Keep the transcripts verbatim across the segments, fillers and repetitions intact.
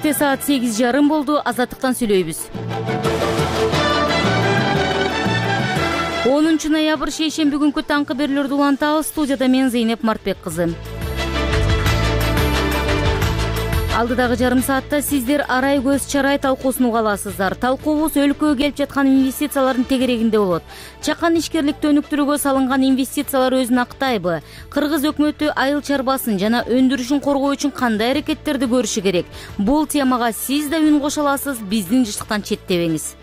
Кечте саат сегиз жарым болду. Азаттыктан сүйлөйбүз. онунчу ноябрь шейшемби күнкү таңкы берүүлөрдү улантабыз. Студияда мен Зейнеп Мартбек кызы. Алдыдагы жарым саатта сиздер Арай көз чарай талкуусун уга аласыздар. Талкуубуз өлкөгө келип жаткан инвестициялардын тегерегинде болот. Чакан ишкерликти өнүктүрүүгө салынган инвестициялар өзүн актайбы? Кыргыз өкмөтү айыл чарбасын жана өндүрүшүн коргоо үчүн кандай аракеттерди көрүшү керек? Бул темага сиз да үн кошо аласыз. Биздин жыштыктан четтебеңиз.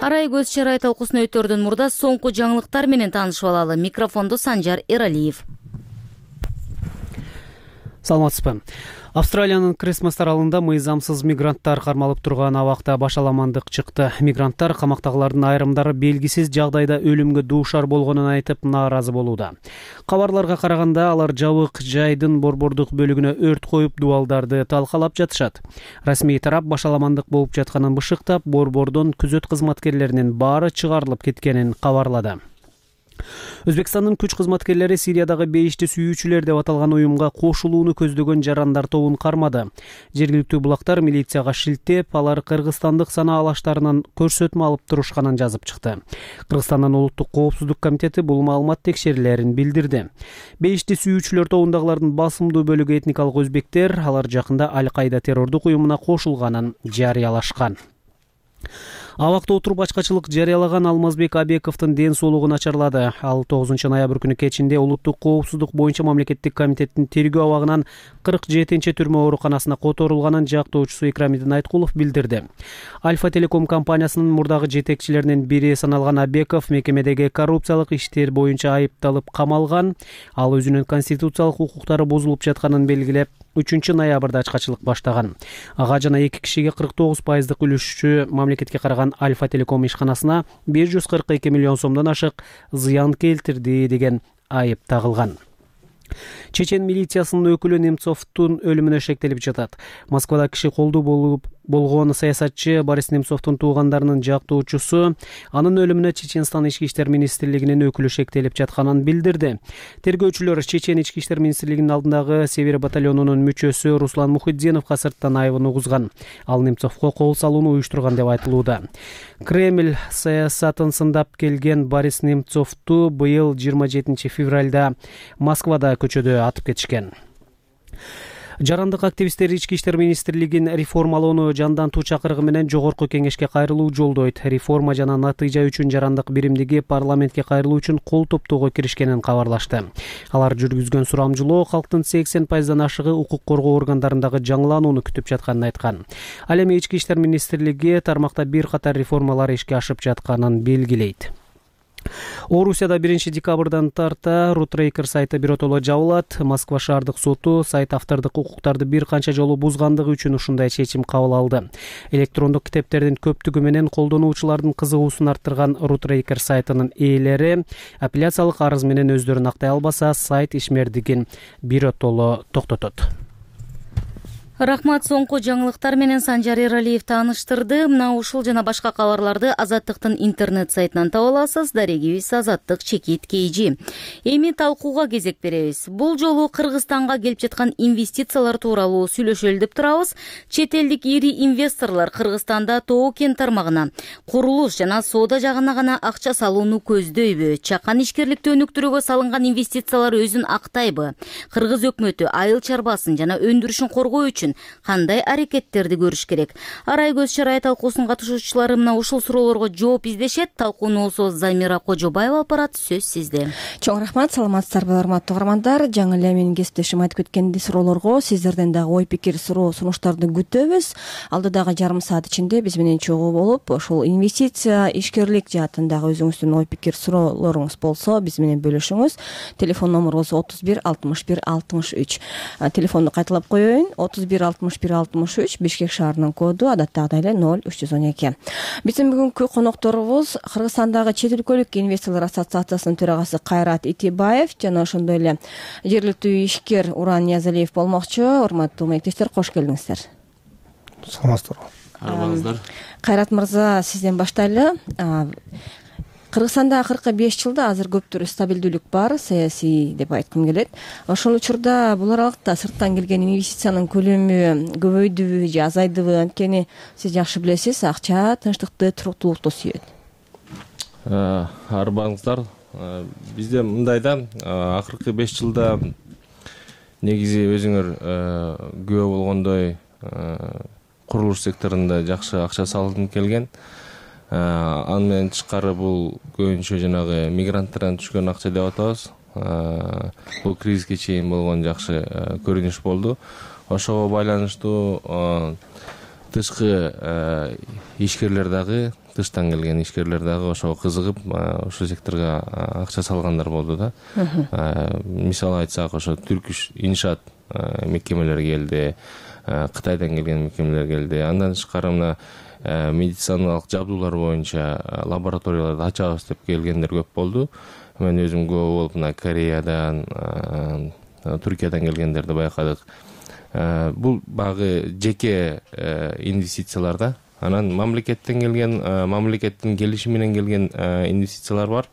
Арай көз чарай талкуусуна өтөрдөн мурда соңку жаңылыктар менен таанышып алалы. Микрофонду Санжар Эралиев. Саламатсызбы. Австралиянын Крисмас аралында мыйзамсыз мигранттар кармалып турган абакта башаламандык чыкты. Мигранттар камактагылардын айрымдары белгисиз жагдайда өлүмгө дуушар болгонун айтып нааразы болууда. Кабарларга караганда алар жабык жайдын борбордук бөлүгүнө өрт коюп дубалдарды талкалап жатышат. Расмий тарап башаламандык болуп жатканын бышыктап, борбордон күзөт кызматкерлеринин баары чыгарылып кеткенин кабарлады. Өзбекстандын күч кызматкерлери Сириядагы бейишти сүйүүчүлөр деп аталган уюмга кошулууну көздөгөн жарандар тобун кармады. Жергиликтүү булактар милицияга шилтеп, алар кыргызстандык санаа алаштарынан көрсөтмө алып турушканын жазып чыкты. Кыргызстандын улуттук коопсуздук комитети бул маалымат текшерилерин билдирди. Бейишти сүйүүчүлөр тобундагылардын басымдуу бөлүгү этникалык өзбектер, алар жакында Аль-Каида террордук уюмуна кошулганын жарыялашкан. Абакта отуруп ачкачылык жарыялаган Алмазбек Абековдун ден соолугу начарлады. Ал тогузунчу ноябрь күнү кечинде улуттук коопсуздук боюнча мамлекеттик комитеттин тергөө абагынан кырк жетинчи түрмө ооруканасына которулганын жактоочусу Икрамидин Айткулов билдирди. Альфа Телеком компаниясынын мурдагы жетекчилеринин бири саналган Абеков мекемедеги коррупциялык иштер боюнча айыпталып камалган. Ал өзүнүн конституциялык укуктары бузулуп жатканын белгилеп, үчүнчү ноябрда ачкачылык баштаган. Ага жана эки кишиге кырк тогуз пайыздык үлүшчү мамлекетке караган Альфа Телеком ишканасына бир жүз кырк эки миллион сомдон ашык зыян келтирди деген айып тагылган. Чечен милициясынын өкүлү Немцовдун өлүмүнө шектелип жатат. Москвада киши колдуу болуп болгон саясатчы Борис Немцовдун туугандарынын жактоочусу анын өлүмүнө Чеченстан ички иштер министрлигинин өкүлү шектелип жатканын билдирди. Тергөөчүлөр Чечен ички иштер министрлигинин алдындагы Север батальонунун мүчөсү Руслан Мухиддиновго сырттан айыбын угузган. Ал Немцовго кол салууну уюштурган деп айтылууда. Кремль саясатын сындап келген Борис Немцовду быйыл жыйырма жетинчи февралда Москвада көчөдө атып кетишкен. Жарандык активисттер ички иштер министрлигин реформалоону жандантуу чакырыгы менен жогорку кеңешке кайрылуу жолдойт. Реформа жана натыйжа үчүн жарандык биримдиги парламентке кайрылуу үчүн кол топтоого киришкенин кабарлашты. Алар жүргүзгөн сурамжылоо калктын сексен пайыздан ашыгы укук коргоо органдарындагы жаңыланууну күтүп жатканын айткан. Ал эми ички иштер министрлиги тармакта бир катар реформалар ишке ашып жатканын белгилейт. Орусияда биринчи декабрдан тарта Рутрейкер сайты биротоло жабылат. Москва шаардык соту сайт автордук укуктарды бир канча жолу бузгандыгы үчүн ушундай чечим кабыл алды. Электрондук китептердин көптүгү менен колдонуучулардын кызыгуусун арттырган Рутрейкер сайтынын ээлери апелляциялык арыз менен өздөрүн актай албаса, сайт ишмердигин биротоло токтотот. Рахмат, соңку жаңылыктар менен Санжар Эралиев тааныштырды. Мына ушул жана башка кабарларды Азаттыктын интернет сайтынан таба аласыз. Дарегибиз Азаттык чекит кейжи. Эми талкууга кезек беребиз. Бул жолу Кыргызстанга келип жаткан инвестициялар тууралуу сүйлөшөлү деп турабыз. Чет элдик ири инвесторлор Кыргызстанда тоо кен тармагына, курулуш жана соода жагына гана акча салууну көздөйбү? Чакан ишкерликти өнүктүрүүгө салынган инвестициялар өзүн актайбы? Кыргыз өкмөтү айыл чарбасын жана өндүрүшүн коргоо үчүн кандай аракеттерди көрүш керек? Арай көз чарай талкуусунун катышуучулары мына ушул суроолорго жооп издешет. Талкууну болсо Замира Кожобаева алып барат. Сөз сизде. Чоң рахмат, саламатсыздарбы урматтуу угармандар. Жаңы эле менин кесиптешим айтып кеткендей суроолорго сиздерден дагы ой пикир, суроо, сунуштарды күтөбүз. Алдыдагы жарым саат ичинде биз менен чогуу болуп, ушул инвестиция, ишкерлик жаатындагы өзүңүздүн ой пикир, суроолоруңуз болсо биз менен бөлүшүңүз. Телефон номурубуз отуз бир алтымыш бир алтымыш үч. Телефонду кайталап коеюн. отуз бир алтымыш бир алтымыш үч, Бишкек шаарынын коду адаттагыдай эле ноль үч жүз он эки. Биздин бүгүнкү конокторубуз Кыргызстандагы чет өлкөлүк инвесторлор ассоциациясынын төрагасы Кайрат Итибаев жана ошондой эле жергиликтүү ишкер Уран Ниязалиев болмокчу. Урматтуу мектештер, кош келиңиздер. Саламатсыздарбы? Кайрат мырза, сизден баштайлы. Кыргызстанда акыркы беш жылда азыр көптүр стабилдүүлүк бар, саясий деп айткым келет. Ошол учурда бул аралыкта сырттан келген инвестициянын көлөмү көбөйдүбү же азайдыбы? Анткени сиз жакшы билесиз, акча тынчтыкты, туруктуулукту сүйөт. Арбаңыздар, бизде мындай да, акыркы беш жылда негизи өзүңөр күбө болгондой курулуш секторунда жакшы акча салынып келген. Ан менен тышкары бул көбүнчө жанагы мигранттардан түшкөн акча деп атабыз. Бул кризиске чейин болгон жакшы көрүнүш болду. Ошого байланыштуу тышкы ишкерлер дагы, тыштан келген ишкерлер дагы ошого кызыгып, ошол секторго акча салгандар болду да. Мисалы айтсак, ошо Түркүш иншаат мекемелери келди, Кытайдан келген мекемелер келди. Андан тышкары мына медициналык жабдуулар боюнча лабораторияларды ачабыз деп келгендер көп болду. Мен өзүм күбө болуп, мына Кореядан, Түркиядан келгендерди байкадык. Бул багы жеке инвестициялар да. Анан мамлекеттен келген, мамлекеттин келишими менен келген инвестициялар бар.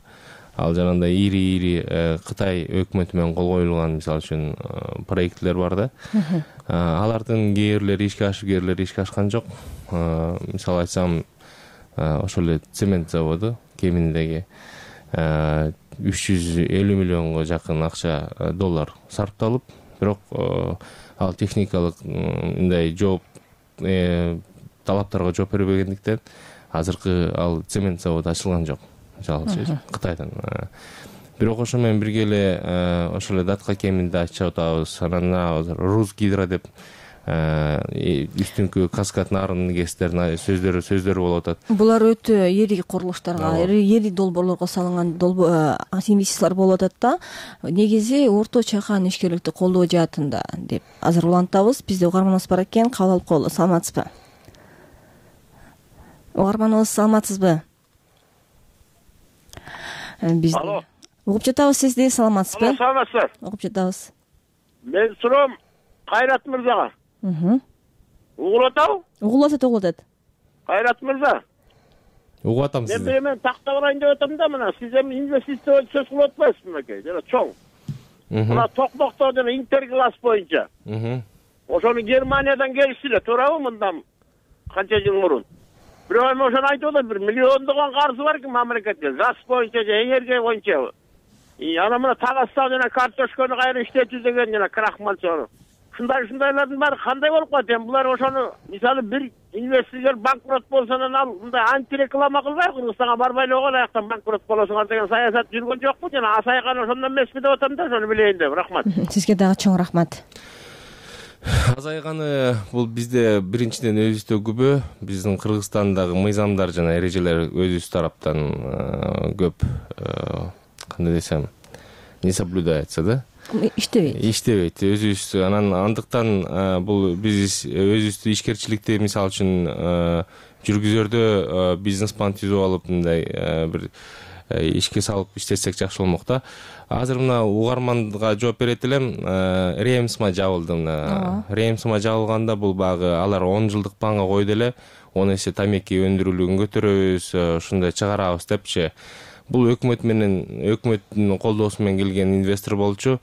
Ал жанагындай ири-ири Кытай өкмөтү менен кол коюлган, мисалы үчүн, проектлер бар да. Алардын кээ бирлери ишке ашып, кээ бирлери ишке ашкан жок. Мисалы айтсам, ошол эле цемент заводу Кеминдеги үч жүз элүү миллионго жакын акча доллар сарпталып, бирок ал техникалык мындай жооп талаптарга жооп бербегендиктен азыркы ал цемент заводу ачылган жок. Жалпы Кытайдан. Бирок ошо менен бирге эле ошол эле Датка Кеминде ачып атабыз. Анан Русгидро деп үстүнкү каскад нарын кестерин сөздөрү сөздөрү болуп атат. Булар өтө ири курулуштарга, ири долбоорлорго салынган инвестициялар болуп атат да. Негизи орто чакан ишкерликти колдоо жаатында деп азыр улантабыз. Бизде угарманыбыз бар экен, кабыл алып коелу. Саламатсызбы? Угарманыбыз, саламатсызбы? Биз угуп жатабыз сизди, саламатсызбы? Саламатсызбы? Угуп жатабыз. Мен суроом Кайрат мырзага. Угулуп атабы? Угулуп атат, угулуп атат. Кайрат мырза. Угуп атам сизди. Мен мен тактап алайын деп атам да, мына сиз эми инвестиция сөз кылып атпайсызбы мынакей, жана чоң. Мына Токмокто жана Интерглас боюнча. Ошону Германиядан келишти, туурабы, мындан канча жыл мурун? Бирок эми ошону айтып атат, бир миллиондогон карызы бар экен мамлекетке, газ боюнча же энергия боюнча. Анан мына Tagaстан жана картошканы кайра иштетүү деген жана крахмалчаны. Ушундай ушундайлардын баары кандай болуп калат? Эми булар ошону мисалы бир инвестор банкрот болсо анан ал мындай антиреклама кылбайбы, Кыргызстанга барбай эле койгула, аяктан банкрот болосуңар деген саясат жүргөн жокпу? Жана Асайкан ошондон эмеспи деп атам да, ошону билейин деп. Рахмат. Сизге дагы чоң рахмат. Азайганы бул бизде биринчиден өзүбүздө күбө, биздин Кыргызстандагы мыйзамдар жана эрежелер өзүбүз тараптан көп, кандай десем, не соблюдается да. Иштебейт. Иштебейт. Өзүбүз анан андыктан бул биз өзүбүздү ишкерчиликти мисалы үчүн жүргүзөрдө бизнес план түзүп алып, мындай бир ишке салып иштесек жакшы болмок да. Азыр мына угарманга жооп берет элем, Ремсма жабылды. Мына Ремсма жабылганда бул багы алар он жылдык планга койду эле, он эсе тамеки өндүрүүлүгүн көтөрөбүз, ушундай чыгарабыз депчи. Бул өкмөт менен, өкмөттүн колдоосу менен келген инвестор болчу.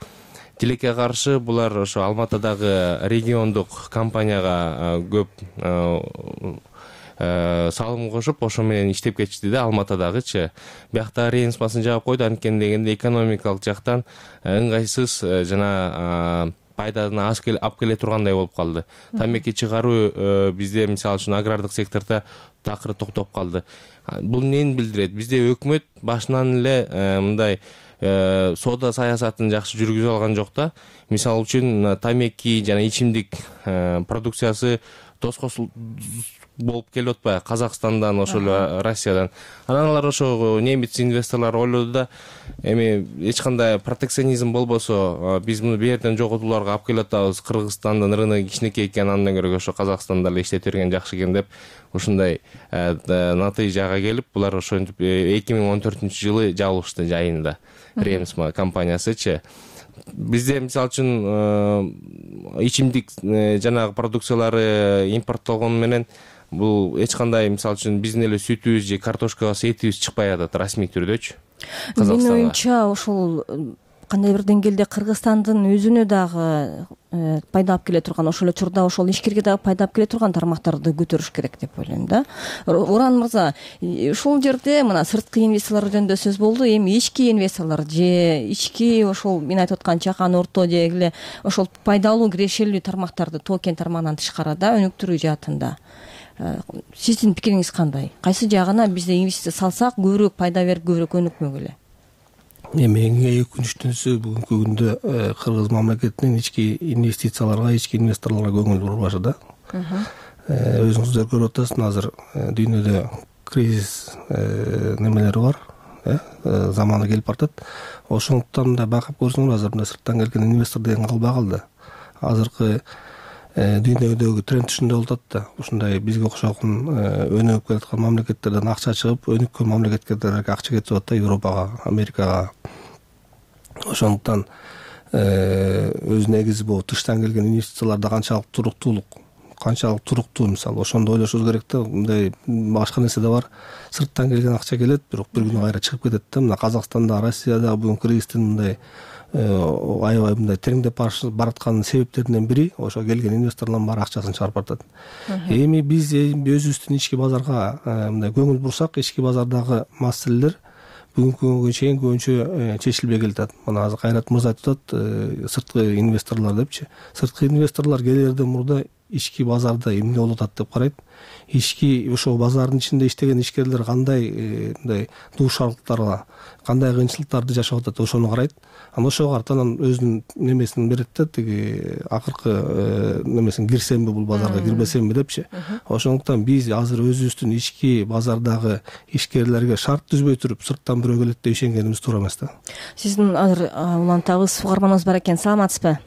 Тилекке каршы булар ошо Алматыдагы региондук компанияга көп салым кошуп, ошо менен иштеп кетишти да, Алматыдагычы. Биякта Ремсмасын жаап койду, анткени дегенде экономикалык жактан ыңгайсыз жана пайданы аз алып келе тургандай болуп калды. Тамеки чыгаруу бизде мисалы үчүн агрардык сектордо такыр токтоп калды. Бул эмнени билдирет? Бизде өкмөт башынан эле мындай соода саясатын жакшы жүргүзүп алган жок да. Мисалы үчүн тамеки жана ичимдик продукциясы тоскосул болуп келип атпайбы Казакстандан, ошол Россиядан. Анан алар ошо немец инвесторлор ойлоду да, эми эч кандай протекционизм болбосо, биз муну берден жоготууларга алып келип атабыз, Кыргызстандын рыногу кичинекей экен, андан көрө ошо Казакстанда эле иштете берген жакшы экен деп ушундай натыйжага келип, булар ошентип эки миң он төртүнчү жылы жабылышты жайында Ремсма компаниясычы. Бизде мисалы үчүн ичимдик жанагы продукциялары импорттолгону менен бул эч кандай мисалы үчүн биздин эле сүтүбүз же картошкабыз этибиз чыкпай атат расмий түрдөчү Казакстанга. Менин оюмча ошол кандай бир деңгээлде Кыргызстандын өзүнө дагы пайда алып келе турган, ошол эле учурда ошол ишкерге дагы пайда алып келе турган тармактарды көтөрүш керек деп ойлойм да. Уран мырза, ушул жерде мына сырткы инвесторлор жөнүндө сөз болду. Эми ички инвесторлор же ички ошол мен айтып аткан чакан орто же эле ошол пайдалуу кирешелүү тармактарды токен тармагынан тышкарыда өнүктүрүү жаатында сиздин пикириңиз кандай? Кайсы жагына бизде инвестиция салсак көбүрөөк пайда берип көбүрөөк өнүкмөк эле? Эми эң өкүнүчтүүсү бүгүнкү күндө Кыргыз мамлекетинин ички инвестицияларга, ички инвесторлорго көңүл бурбашы да. Өзүңүздөр көрүп атасыздар, азыр дүйнөдө кризис немелери бар, заманы келип баратат. Ошондуктан да байкап көрсөңөр, азыр мына сырттан келген инвестор деген калбай калды. Азыркы дүйнөдөгү тренд ушундай болуп атат да. Ушундай бизге окшогон өнүгүп келаткан мамлекеттерден акча чыгып, өнүккөн мамлекеттерге акча кетип атат да, Европага, Америкага. Ошондуктан өз негизи бул тыштан келген инвестицияларда канчалык туруктуулук, канчалык туруктуу мисалы ошондо ойлошубуз керек да. Мындай башка нерсе да бар. Сырттан келген акча келет, бирок бир күнү кайра чыгып кетет да. Мына Казакстанда, Россияда бүгүн кризистин мындай аябай мындай тереңдеп бараткан себептеринен бири ошо келген инвесторлордун баары акчасын чыгарып баратат. Эми биз өзүбүздүн ички базарга мындай көңүл бурсак, ички базардагы маселелер бүгүнкү күнгө чейин көбүнчө чечилбей келатат. Мына азыр Кайрат мырза айтып атат, сырткы инвесторлор депчи. Сырткы инвесторлор келерден мурда ички базарда эмне болуп атат деп карайт. Ички ошол базардын ичинде иштеген ишкерлер кандай мындай дуушарлыктарга, кандай кыйынчылыктарды жашап атат, ошону карайт. Анан ошого карата анан өзүнүн немесин берет да, тиги акыркы немесин кирсемби бул базарга, кирбесемби депчи. Ошондуктан биз азыр өзүбүздүн ички базардагы ишкерлерге шарт түзбөй туруп, сырттан бирөө келет деп ишенгенибиз туура эмес да. Сиздин азыр улантабыз угарманыбыз бар экен. Саламатсызбы?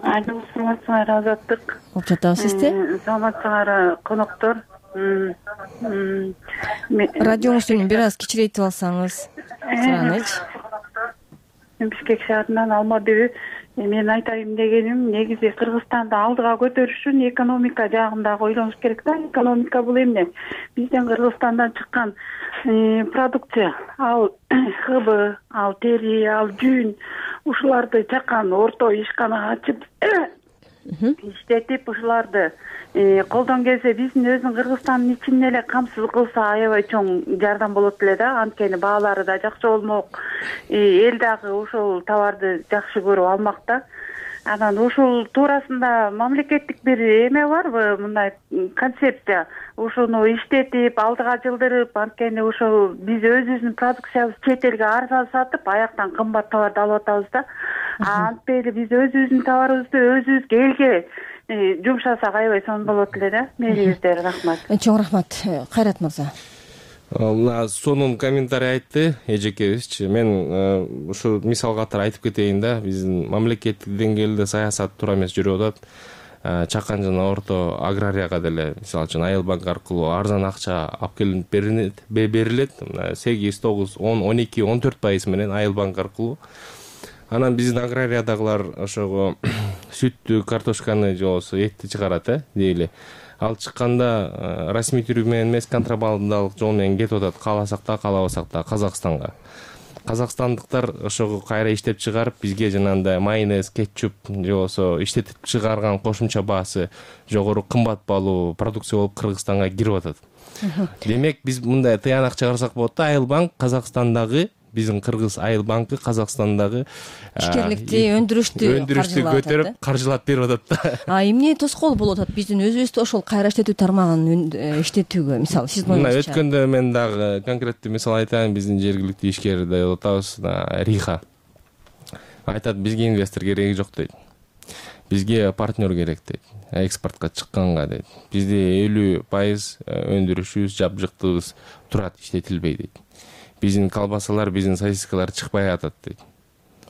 Айдын саламатсыңар, Азаттык. Болуп жатабыз сизди. Саламатсыңар, коноктор. Радионузду бир аз кичирейтип алсаңыз. Суранычы. Бишкек шаарынан Алмабек. Мен айтайын дегеним, негизи Кыргызстанды алдыга көтөрүш үчүн экономика жагында ойлонуш керек да. Экономика бул эмне? Бизден Кыргызстандан чыккан продукция, ал хыбы, ал тери, ал жүн, ушуларды чакан орто ишкана ачып иштетип, ушуларды колдон келсе, биздин өзүнүн Кыргызстандын ичин эле камсыз кылса аябай чоң жардам болот эле да. Анткени баалары да жакшы болмок, эл дагы ошол товарды жакшы көрүп алмак да. Анан ушул туурасында мамлекеттик бир эме барбы, мындай концепция? Ушуну иштетип, алдыга жылдырып, анткени ошол биз өзүбүздүн продукциябызды чет элге арзан сатып, аяктан кымбат товарды алып атабыз да. Антпейли биз өзүбүздүн товарыбызды өзүбүзгө элге жумшасак аябай сонун болот эле да. Мээңиздер, рахмат. Чоң рахмат. Кайрат мырза. Мына сонун комментарий айтты эжекебизчи. Мен ушу мисал катары айтып кетейин да. Биздин мамлекеттик деңгээлде саясат туура эмес жүрүп атат. Чакан жана орто аграрияга деле мисалы үчүн Айыл банк аркылуу арзан акча алып келип берилет, берилет. сегиз, тогуз, он, он эки, он төрт пайыз менен Айыл банк аркылуу. Анан биздин аграриядагылар ошого сүттү, картошканы же болбосо этти чыгарат, э, дейли. Ал чыкканда расмий түрү менен эмес, контрабандалык жол менен кетип атат. Кааласак да, каалабасак да Казакстанга. Казакстандыктар ошого кайра иштеп чыгарып, бизге жанагындай майонез, кетчуп же болбосо иштетип чыгарган кошумча баасы жогору, кымбат баалуу продукция болуп Кыргызстанга кирип атат. Демек, биз мындай тыянак чыгарсак болот да. Айыл банк Казакстандагы, биздин Кыргыз Айыл банкы Казакстандагы ишкерликти, өндүрүштү өндүрүштү көтөрүп, каржылап берип атат да. А эмне тоскоол болуп атат биздин өзүбүздү ошол кайра иштетүү тармагын иштетүүгө? Мисалы, сиздин оюңузча. Мына өткөндө мен дагы конкреттүү мисал айтайын. Биздин жергиликтүү ишкерди атабыз, Риха. Айтат, бизге инвестор кереги жок дейт. Бизге партнер керек дейт. Экспортко чыкканга дейт. Бизде элүү пайыз өндүрүшүбүз, жабжыктыгыбыз турат, иштетилбей дейт. Биздин колбасалар, биздин сосискалар чыкпай атат дейт.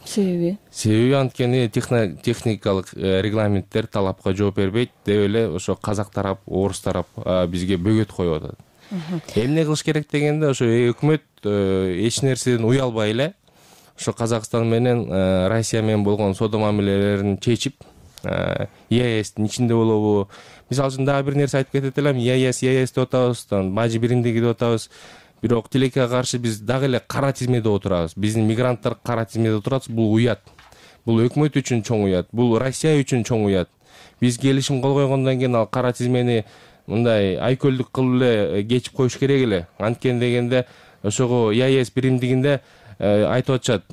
Себеби? Себеби анткени техникалык регламенттер талапка жооп бербейт деп эле ошо казак тарап, орус тарап бизге бөгөт коюп атат. Эмне кылыш керек дегенде, ошо өкмөт эч нерседен уялбай эле ошо Казакстан менен Россия менен болгон соода мамилелерин чечип, и а эстин ичинде болобу. Мисалы үчүн дагы бир нерсе айтып кетет элем. и а эс и а эс деп атабыз, бажы биримдиги деп атабыз. Бирок тилекке каршы биз дагы эле кара тизмеде отурабыз. Биздин мигранттар кара тизмеде отурат. Бул уят. Бул өкмөт үчүн чоң уят. Бул Россия үчүн чоң уят. Биз келишим кол койгондон кийин ал кара тизмени мындай айкөлдүк кылып эле кечип коюш керек эле. Анткени дегенде ошого и а эс биримдигинде айтып атышат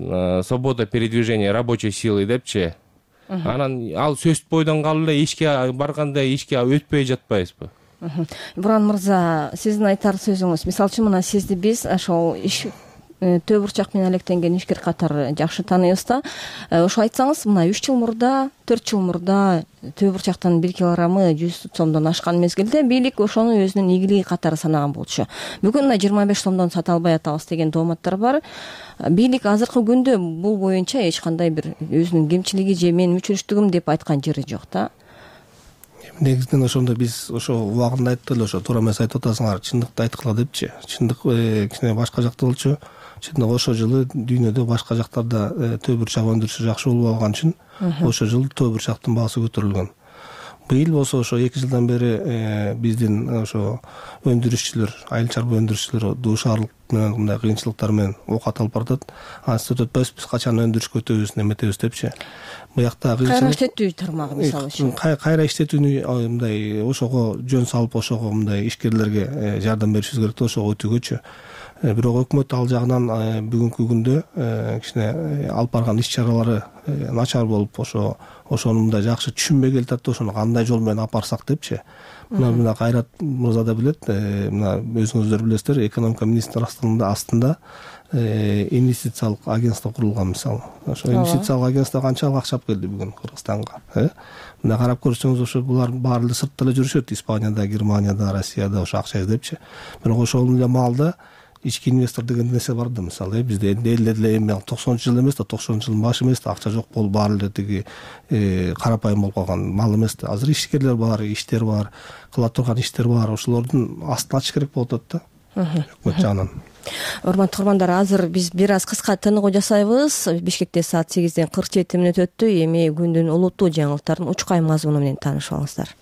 свобода передвижения рабочей силы депчи. Анан ал сөзсүз бойдон калып эле ишке барганда ишке өтпөй жатпайбызбы? Буран мырза, сиздин айтар сөзүңүз, мисалы үчүн мына сизди биз ошол иш төө бурчак менен алектенген ишкер катары жакшы тааныйбыз да. Ошо айтсаңыз, мына үч жыл мурда, төрт жыл мурда төө бурчактын бир килограммы жүз сомдон ашкан мезгилде бийлик ошону өзүнүн ийгилиги катары санаган болчу. Бүгүн мына жыйырма беш сомдон сата албай атабыз деген дооматтар бар. Бийлик азыркы күндө бул боюнча эч кандай бир өзүнүн кемчилиги же менин мүчүрүштүгүм деп айткан жери жок да. Негизинен ошондо биз ошо убагында айттык эле, ошо туура эмес айтып атасыңар, чындыкты айткыла депчи. Чындык кичине башка жакта болчу. Чындык ошо жылы дүйнөдө башка жактарда төө бурчак өндүрүшү жакшы болуп алган үчүн ошо жылы төө бурчактын баасы көтөрүлгөн. Быйыл болсо ошо эки жылдан бери биздин ошо өндүрүшчүлөр, айыл чарба өндүрүшчүлөр дуушарлык менен мындай кыйынчылыктар менен окат алып баратат. Анысы өтпөйбүз, биз качан өндүрүшкө өтөбүз, неметебиз депчи. Буякта кайра иштетүү тармагы мисалы үчүн. Кайра иштетүүнү мындай ошого жөн салып, ошого мындай ишкерлерге жардам беришибиз керек да, ошого өтүүгөчү. Бирок өкмөт ал жагынан бүгүнкү күндө кичине алып барган иш чаралары начар болуп, ошо ошону мындай жакшы түшүнбөй келатат да, ошону кандай жол менен алып барсак депчи. Мына мына Кайрат мырза да билет, мына өзүңүздөр билесиздер, экономика министрлигинин астында инвестициялык агентство курулган мисалы. Ошо инвестициялык агентство канчалык акча алып келди бүгүн Кыргызстанга. Мына карап көрсөңүз, ошо булар баары эле сыртта эле жүрүшөт, Испанияда, Германияда, Россияда ошо акча издепчи. Бирок ошол эле маалда ички инвестор деген нерсе бар да, мисалы бизде эле эле эми токсонунчу жыл эмес да, токсонунчу жылдын башы эмес да, акча жок болуп баары эле тиги карапайым болуп калган мал эмес да. Азыр ишкерлер бар, иштер бар, кыла турган иштер бар, ошолордун астын ачыш керек болуп атат да өкмөт жагынан. Урматтуу угармандар, азыр биз бир аз кыска тыныгуу жасайбыз. Бишкекте саат сегизден кырк жети мүнөт өттү. Эми күндүн улуттуу жаңылыктарын учкай мазмуну менен таанышып алыңыздар.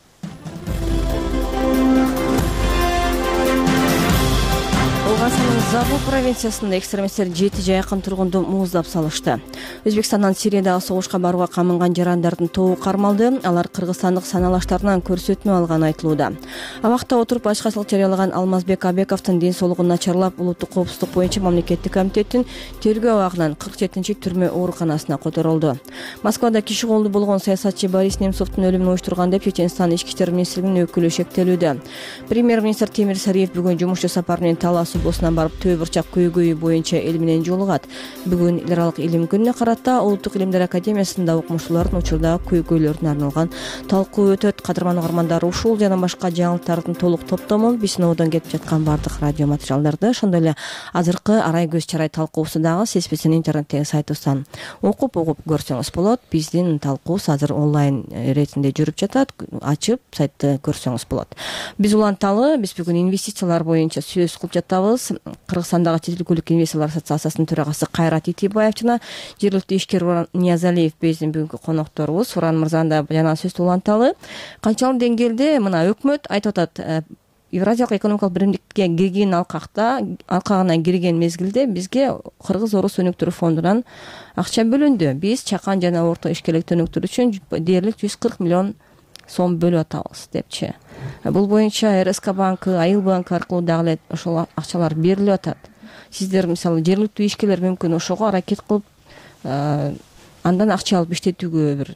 Забыл провинциясында экстремисттер жети жайкын тургунду мууздап салышты. Өзбекстандан Сириядагы согушка барууга камынган жарандардын тобу кармалды. Алар кыргызстандык саналаштарынан көрсөтмө алганы айтылууда. Абакта отуруп башкачылык жарыялаган Алмазбек Абековдун ден соолугун начарлап, улуттук коопсуздук боюнча мамлекеттик комитеттин тергөө абагынан кырк жетинчи түрмө ооруканасына которулду. Москвада киши колду болгон саясатчы Борис Немцовдун өлүмүн уюштурган деп Чеченстан ички иштер министрлигинин өкүлү шектелүүдө. Премьер-министр Темир Сариев бүгүн жумушчу сапар менен Талас облусуна барып төө бурчак көйгөйү боюнча эл менен жолугат. Бүгүн эл аралык илим күнүнө карата Улуттук илимдер академиясында окумуштуулардын учурдагы көйгөйлөрүнө арналган талкуу өтөт. Кадырман угармандар, ушул жана башка жаңылыктардын толук топтомун Бисиновдон кетип жаткан бардык радио материалдарды, ошондой эле азыркы арай көз чарай талкуусу дагы сиз биздин интернеттеги сайтыбыздан окуп угуп көрсөңүз болот. Биздин талкуубуз азыр онлайн иретинде жүрүп жатат. Ачып сайтты көрсөңүз болот. Биз уланталы, биз бүгүн инвестициялар боюнча сөз кылып жатабыз. Кыргызстандагы чет өлкөлүк инвесторлор ассоциациясынын төрагасы Кайрат Итибаев жана жергиликтүү ишкер Уран Ниязалиев биздин бүгүнкү конокторубуз. Уран мырзаны да жана сөз уланталы. Канчалык деңгээлде мына өкмөт айтып атат, Евразиялык экономикалык биримдикке кирген алкакта, алкагына кирген мезгилде бизге Кыргыз-Орус өнүктүрүү фондунан акча бөлүндү. Биз чакан жана орто ишкерликти өнүктүрүү үчүн дээрлик жүз кырк миллион сом бөлүп атабыз депчи. Бул боюнча эр эс ка банкы, Айыл банкы аркылуу дагы эле ошол акчалар берилип атат. Сиздер мисалы жергиликтүү ишкерлер мүмкүн ошого аракет кылып, андан акча алып иштетүүгө бир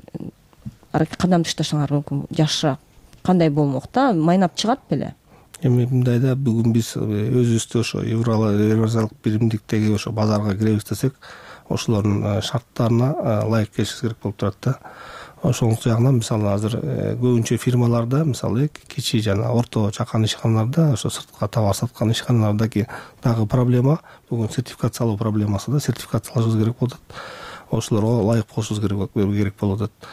кадам ташташыңар мүмкүн, жакшыраак кандай болмок да, майнап чыгат беле? Эми мындайда бүгүн биз өзүбүздү ошо Евразиялык биримдиктеги ошо базарга киребиз десек, ошолордун шарттарына ылайык келишибиз керек болуп турат да. Ошол жагынан мисалы азыр көбүнчө фирмаларда, мисалы кичи жана орто чакан ишканаларда, ошо сыртка товар саткан ишканалардагы дагы проблема бүгүн сертификациялоо проблемасы да, сертификациялашыбыз керек болуп атат. Ошолорго ылайык болушубуз керек болуп атат.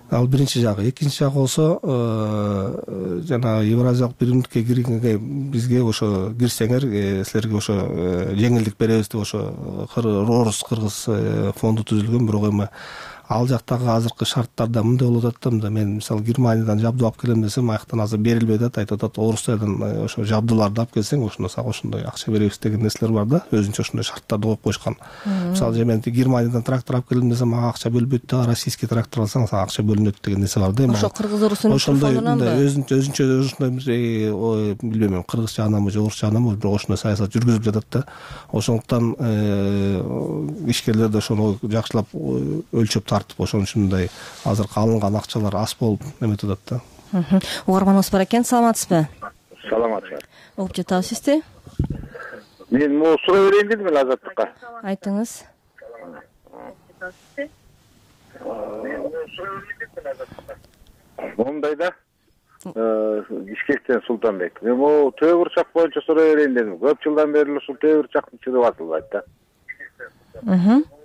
Ал биринчи жагы. Экинчи жагы болсо, жана Евразиялык биримдикке киргенге бизге ошо кирсеңер, силерге ошо жеңилдик беребиз деп ошо Орус Кыргыз фонду түзүлгөн, бирок эми ал жактагы азыркы шарттарда мындай болуп атат да, мында мен мисалы Германиядан жабдуу алып келем десем, аяктан азыр берилбей атат, айтып атат Орусиядан ошо жабдууларды алып келсең, ошондо сага ошондой акча беребиз деген нерселер бар да, өзүнчө ошондой шарттарды коюп коюшкан. Мисалы мен Германиядан трактор алып келем десем, мага акча бөлбөйт да, российский трактор алсаң сага акча бөлүнөт деген нерсе бар да. Ошо кыргыз орустун ошондой өзүнчө өзүнчө ошондой билбейм, кыргыз жагынан же орус жагынан бирок ошондой саясат жүргүзүлүп жатат да. Ошондуктан ишкерлер да ошону жакшылап өлчөп тартып, ошон үчүн мындай азыркы алынган акчалар аз болуп эметип атат да. Угарманыбыз бар экен, саламатсызбы? Саламатсызбы. Угуп жатабыз сизди. Мен могу суроо берейин дедим эле Азаттыкка. Айтыңыз. Момундай да, Бишкектен Султанбек. Мен могу Төө Бурчак боюнча суроо берейин дедим. Көп жылдан бери ушул Төө Бурчактын чыгып атылбайт да.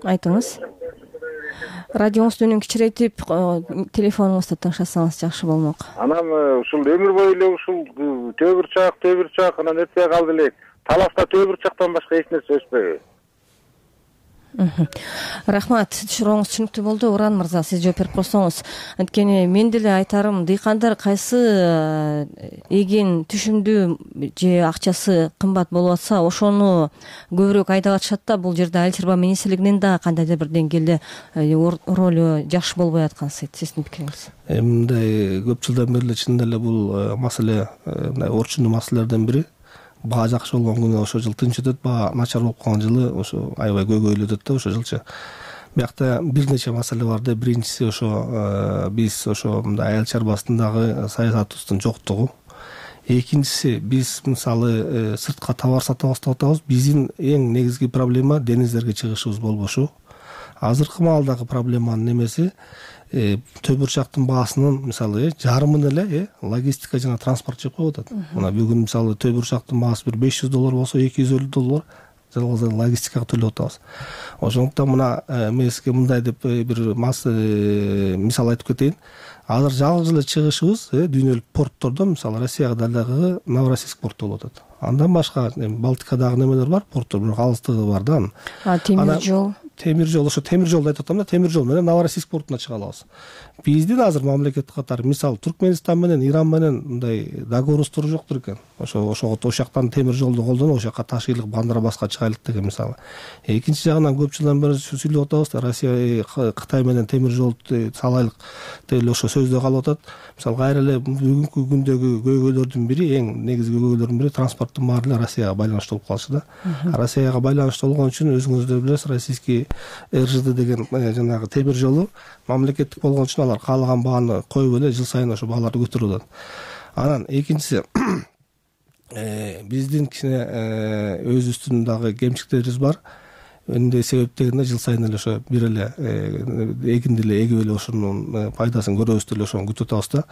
Айтыңыз. Радионуңузду үнүн кичирейтип, телефонуңузду тыңшасаңыз жакшы болмок. Анан ушул өмүр бою эле ушул Төө Бурчак, Төө Бурчак анан өтпөй калды элек. Таласта Төө Бурчактан башка эч нерсе өспөйбү. Рахмат, сурооңуз түшүнүктүү болду. Уран мырза, сиз жооп берип койсоңуз. Анткени мен деле айтарым, дыйкандар кайсы эген түшүмдүү же акчасы кымбат болуп атса, ошону көбүрөөк айдап атышат да. Бул жерде Айыл чарба министрлигинин да кандайдыр бир деңгээлде ролу жакшы болбой аткан сыйт. Сиздин пикириңиз? Мындай көп жылдан бери эле чынында эле бул маселе, мындай орчундуу маселелердин бири. Баа жакшы болгон күнү ошо жыл тынч өтөт, баа начар болуп калган жылы ошо аябай көйгөйлүү өтөт да ошо жылчы. Биякта бир нече маселе бар да. Биринчиси ошо биз ошо мындай айыл чарбасындагы саясатыбыздын жоктугу. Экинчиси, биз мисалы сыртка товар сата баштап атабыз. Биздин эң негизги проблема дениздерге чыгышыбыз болбошу. Азыркы маалдагы проблеманын эмеси Төө Бурчактын баасынын мисалы жарымын эле логистика жана транспорт жеп коюп атат. Мына бүгүн мисалы Төө Бурчактын баасы бир беш жүз доллар болсо, эки жүз элүү доллар жалгыз логистикага төлөп атабыз. Ошондуктан мына мен сизге мындай деп бир мисал айтып кетейин. Азыр жалгыз эле чыгышыбыз дүйнөлүк порттордо, мисалы Россияга дагы Новороссийск порту болуп атат. Андан башка Балтикадагы немелер бар, порттор, бирок алыстыгы бар да. А темир жол темир жол ошо темир жолду айтып атам да, темир жол менен Новороссийск портуна чыга алабыз. Биздин азыр мамлекет катары мисалы Туркменистан менен Иран менен мындай договорубуз жоктур экен. Ошо ошого ошол жактан темир жолду колдонуп, ошол жака ташыйлык Бандарбаска чыгайлык деген мисалы. Экинчи жагынан көп жылдан бери сүйлөп атабыз да, Россия Кытай менен темир жолду салайлык деп эле ошо сөздө калып атат. Мисалы кайра эле бүгүнкү күндөгү көйгөйлөрдүн бири, эң негизги көйгөйлөрдүн бири транспорттун баары эле Россияга байланыштуу болуп калышы да. Россияга байланыштуу болгон үчүн өзүңүздөр билесиз, российский эр жэ дэ деген жанагы темир жолу мамлекеттик болгон үчүн алар каалаган бааны коюп эле жыл сайын ошо бааларды көтөрүп атат. Анан экинчиси, биздин кичине өзүбүздүн дагы кемчиликтерибиз бар. Эмне себеп дегенде жыл сайын эле ошо бир эле эгинди эле эгип эле ошонун пайдасын көрөбүз деп эле ошону күтүп атабыз да.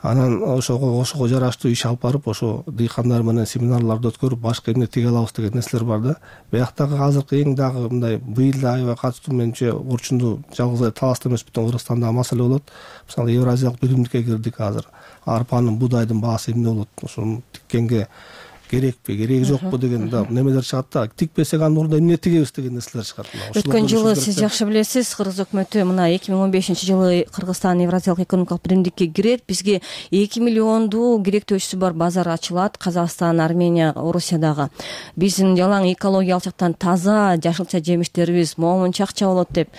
Анан ошого ошого жараштуу иш алып барып, ошо дыйкандар менен семинарларды өткөрүп, башка эмне тиге алабыз деген нерселер бар да. Бияктагы азыркы эң дагы мындай быйыл да аябай катыштуу менче орчунду жалгыз эле таласта эмес, бүтүн Кыргызстандагы маселе болот. Мисалы Евразиялык биримдикке кирдик азыр. Арпанын, будайдын баасы эмне болот? Ошону тиккенге керекпи, кереги жокпу деген да немелер чыгат да. Тикпесек анын ордуна эмне тигебиз деген нерселер чыгат. Өткөн жылы сиз жакшы билесиз, Кыргыз өкмөтү мына эки миң он бешинчи жылы Кыргызстан Евразиялык экономикалык биримдикке кирет. Бизге эки миллионду керектөөчүсү бар базар ачылат. Казакстан, Армения, Орусиядагы. Биздин жалаң экологиялык жактан таза жашылча жемиштерибиз момунча акча болот деп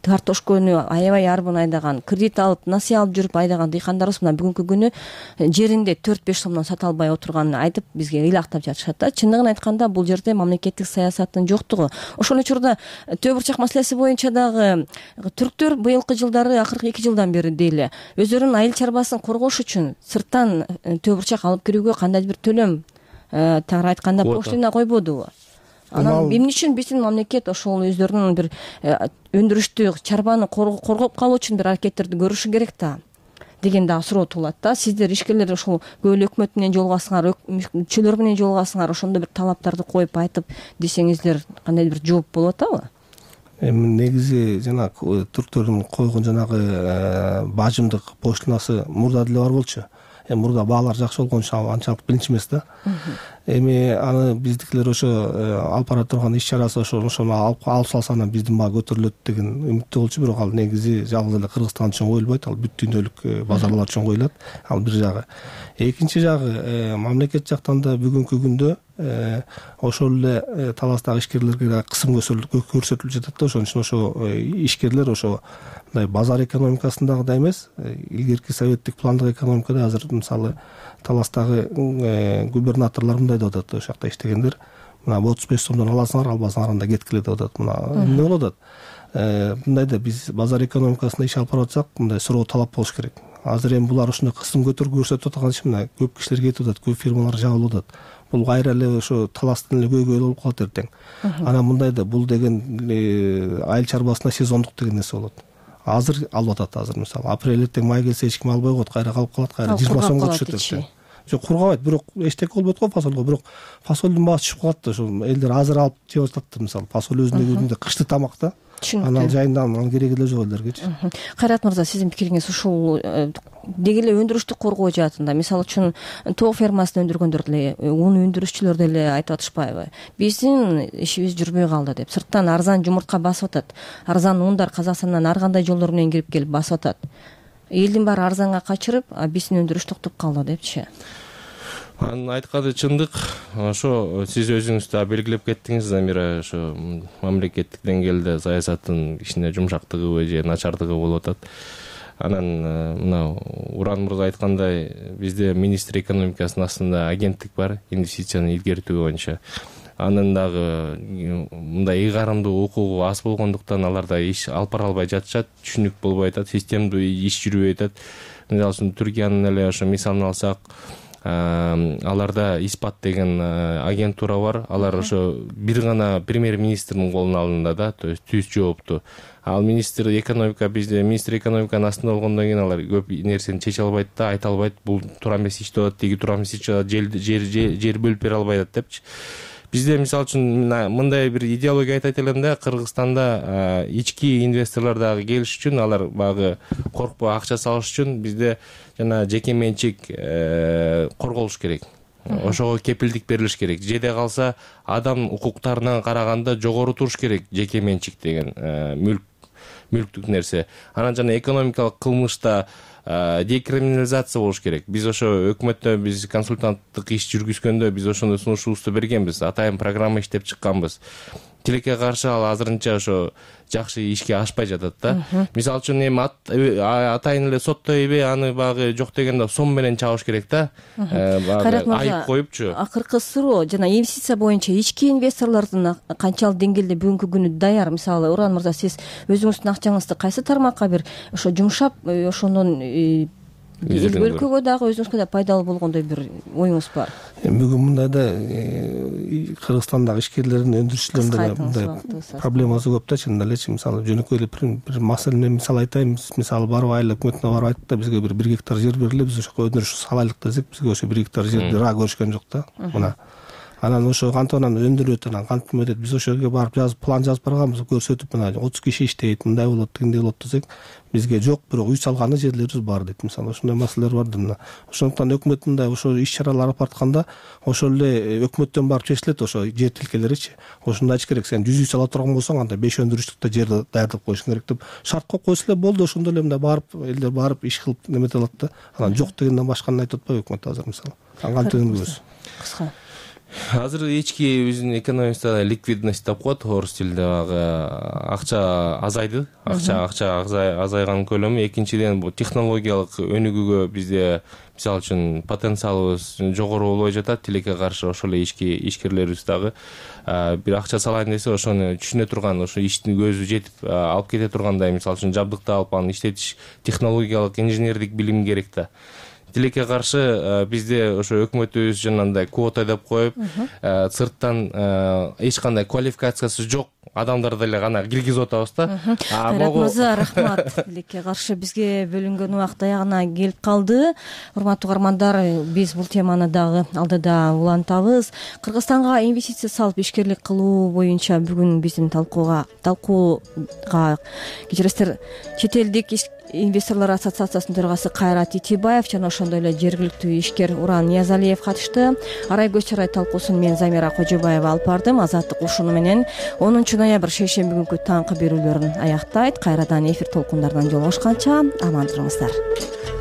картошканы аябай арбын айдаган, кредит алып, насыя алып жүрүп айдаган дыйкандарыбыз мына бүгүнкү күнү жеринде төрт беш сомдон сата албай отурганын айтып бизге ыйлактап жатышат да. Чындыгын айтканда бул жерде мамлекеттик саясаттын жоктугу. Ошол учурда Төө Бурчак маселеси боюнча дагы түрктөр быйылкы жылдары, акыркы эки жылдан бери дейли, өздөрүнүн айыл чарбасын коргош үчүн сырттан Төө Бурчак алып кирүүгө кандайдыр бир төлөм, тагыраак айтканда, пошлина койбодубу? Анан эмне үчүн биздин мамлекет ошол өздөрүнүн бир өндүрүштү чарбаны коргоп калуу үчүн бир аракеттерди көрүшү керек да деген дагы суроо туулат да. Сиздер ишкерлер ошол көөл өкмөт менен жолугасыңар, мүчөлөр менен жолугасыңар, ошондо бир талаптарды коюп айтып десеңиздер кандайдыр бир жооп болуп атабы? Эми негизи жана түрктөрдүн койгон жанагы бажымдык пошлинасы мурда деле бар болчу. Эми мурда баалар жакшы болгон үчүн анчалык билинчү эмес да. эми аны биздикилер ошо алып бара турган иш чарасы ошо ошону алып алып салса анан биздин баа көтөрүлөт деген үмүттө болчу. Бирок ал негизи жалгыз эле Кыргызстан үчүн коюлбайт, ал бүт дүйнөлүк базарлар үчүн коюлат. Ал бир жагы. Экинчи жагы, мамлекет жактан да бүгүнкү күндө ошол эле таластагы ишкерлерге кысым көрсөтүлүп жатат да. Ошон үчүн ошо ишкерлер ошо мындай базар экономикасындагыдай эмес, илгерки советтик пландык экономикада азыр мисалы таластагы губернаторлор мындай деп атат: ошол жакта иштегендер мына отуз беш сомдон аласыңар, албасаңар анда кеткиле деп атат. Мына эмне болуп атат? Мындай да биз базар экономикасында иш алып барып атсак, мындай суроо талап болуш керек. Азыр эми булар ушундай кысым көтөрүп көрсөтүп аткан үчүн мына көп кишилер кетип атат, көп фирмалар жабылып атат. Бул кайра эле ошо таластын эле көйгөйү болуп калат эртең. Анан мындай да бул деген айыл чарбасына сезондук деген нерсе болот. Азыр алып атат, азыр мисалы апрель эртең май келсе эч ким албай коет, кайра калып калат, кайра жыйырма сомго түшөт эртең. Жок, кургабайт, бирок эчтеке болбойт го фасолго, бирок фасолдун баасы түшүп калат да. Ошол элдер азыр алып жеп атат да, мисалы фасол өзүнүн өзүндө кышты тамак да. Анан жайында анын кереги эле жок элдергечи. Кайрат мырза, сиздин пикириңиз ушул деги эле өндүрүштү коргоо жаатында, мисалы үчүн тоок фермасында өндүргөндөр деле, ун өндүрүшчүлөр деле айтып атышпайбы? Биздин ишибиз жүрбөй калды деп. Сырттан арзан жумуртка басып атат, арзан ундар Казакстандан ар кандай жолдор менен кирип келип басып атат. Элдин баары арзанга качырып, а биздин өндүрүш токтоп калды депчи. Анын айтканы чындык. Ошо сиз өзүңүз да белгилеп кеттиңиз, Замира, ошо мамлекеттик деңгээлде саясаттын кичине жумшактыгы же начардыгы болуп атат. Анан мына Уран мырза айткандай, бизде министр экономикасынын астында агенттик бар, инвестицияны илгертүү боюнча. Анын дагы мындай ыйгарымдуу укугу аз болгондуктан алар да иш алып бара албай жатышат, түшүнүк болбой атат, системдүү иш жүрбөй атат. Мисалы үчүн Түркиянын эле ошо мисалын алсак, аларда Испат деген агентура бар. Алар ошо бир гана премьер-министрдин колуна алынды да, то есть түз жоопту. Ал министр экономика, бизде министр экономиканын астында болгондон кийин алар көп нерсени чече албайт да, айта албайт. Бул туура эмес иштеп атат, тиги туура эмес иштеп атат, жер жер бөлүп бере албай атат депчи. Бизде мисалы үчүн мындай бир идеология айтайт элем да, Кыргызстанда ички инвесторлор дагы келиш үчүн, алар багы коркпой акча салыш үчүн бизде жана жеке менчик корголуш керек. Ошого кепилдик берилиш керек. Жеде калса адам укуктарына караганда жогору туруш керек жеке менчик деген мүлк мүлктүк нерсе. Анан жана экономикалык кылмышта декриминализация болуш керек. Биз ошо өкмөттө биз консультанттык иш жүргүзгөндө биз ошондой сунушубузду бергенбиз. Атайын программа иштеп чыкканбыз. Тилекке каршы ал азырынча ошо жакшы ишке ашпай жатат да. Мисалы үчүн эми атайын эле соттойбу, аны багы жок дегенде сом менен чабыш керек да. Айып коюпчу. Акыркы суроо жана инвестиция боюнча ички инвесторлордун канчалык деңгээлде бүгүнкү күнү даяр? Мисалы, Уран мырза, сиз өзүңүздүн акчаңызды кайсы тармакка бир ошо жумшап, ошондон эл өлкөгө дагы өзүңүзгө да пайдалуу болгондой бир оюңуз бар? Бүгүн мындай да Кыргызстандагы ишкерлердин, өндүрүшчүлөрдүн мындай проблемасы көп да, чынында элечи. Мисалы жөнөкөй эле бир маселени мисал айтайын. Мисалы барып айыл өкмөтүнө барып айттык да, бизге бир бир гектар жер бериле, биз ошого өндүрүш салайлык десек, бизге ошо бир гектар жерди ра көрүшкөн жок да. Мына анан ошо кантип анан өндүрөт, анан кантип өтөт. Биз ошол жерге барып жазып, план жазып барганбыз, көрсөтүп, мына отуз киши иштейт, мындай болот, тигиндей болот десек, бизге жок, бирок үй салганы жерлерибиз бар дейт. Мисалы ошондой маселелер бар да. Ошондуктан өкмөт мындай ошо иш чаралар алып баратканда ошол эле өкмөттөн барып чечилет ошо жер тилкелеричи. Ошондо айтыш керек, сен жүз үй сала турган болсоң, анда беш өндүрүштүктө жерди даярдап коюшуң керек деп шарт коюп койсо эле болду. Ошондо эле мындай барып элдер барып иш кылып немете алат да. Анан жок дегенден башканы айтып атпайбы өкмөт азыр мисалы. Кантип өндүрөбүз? Кыска. Азыр ички биздин экономикада ликвидность деп коет, орус тилинде багы акча азайды. Акча акча азайган көлөмү. Экинчиден, бул технологиялык өнүгүүгө бизде мисалы үчүн потенциалыбыз жогору болбой жатат. Тилекке каршы ошол эле ички ишкерлерибиз дагы бир акча салайын десе, ошону түшүнө турган, ошо иштин көзү жетип алып кете тургандай, мисалы үчүн жабдыкты алып аны иштетиш технологиялык инженердик билим керек да. Тилекке каршы бизде ошо өкмөтүбүз жанагындай квота деп коюп, сырттан эч кандай квалификациясы жок адамдарды эле гана киргизип атабыз да. Кайрат мырза, рахмат. Тилекке каршы бизге бөлүнгөн убакыт аягына келип калды. Урматтуу угармандар, биз бул теманы дагы алдыда улантабыз. Кыргызстанга инвестиция салып ишкерлик кылуу боюнча бүгүн биздин талкууга талкууга кечиресиздер, чет элдик инвесторлор ассоциациясынын төрагасы Кайрат Итибаев жана ошондой эле жергиликтүү ишкер Уран Ниязалиев катышты. Арай көз чарай талкуусун мен Замира Кожобаева алып бардым. Азаттык ушуну менен онунчу ноябрь шейшемби күнкү таңкы берүүлөрүн аяктайт. Кайрадан эфир толкундарынан жолугушканча аман туруңуздар.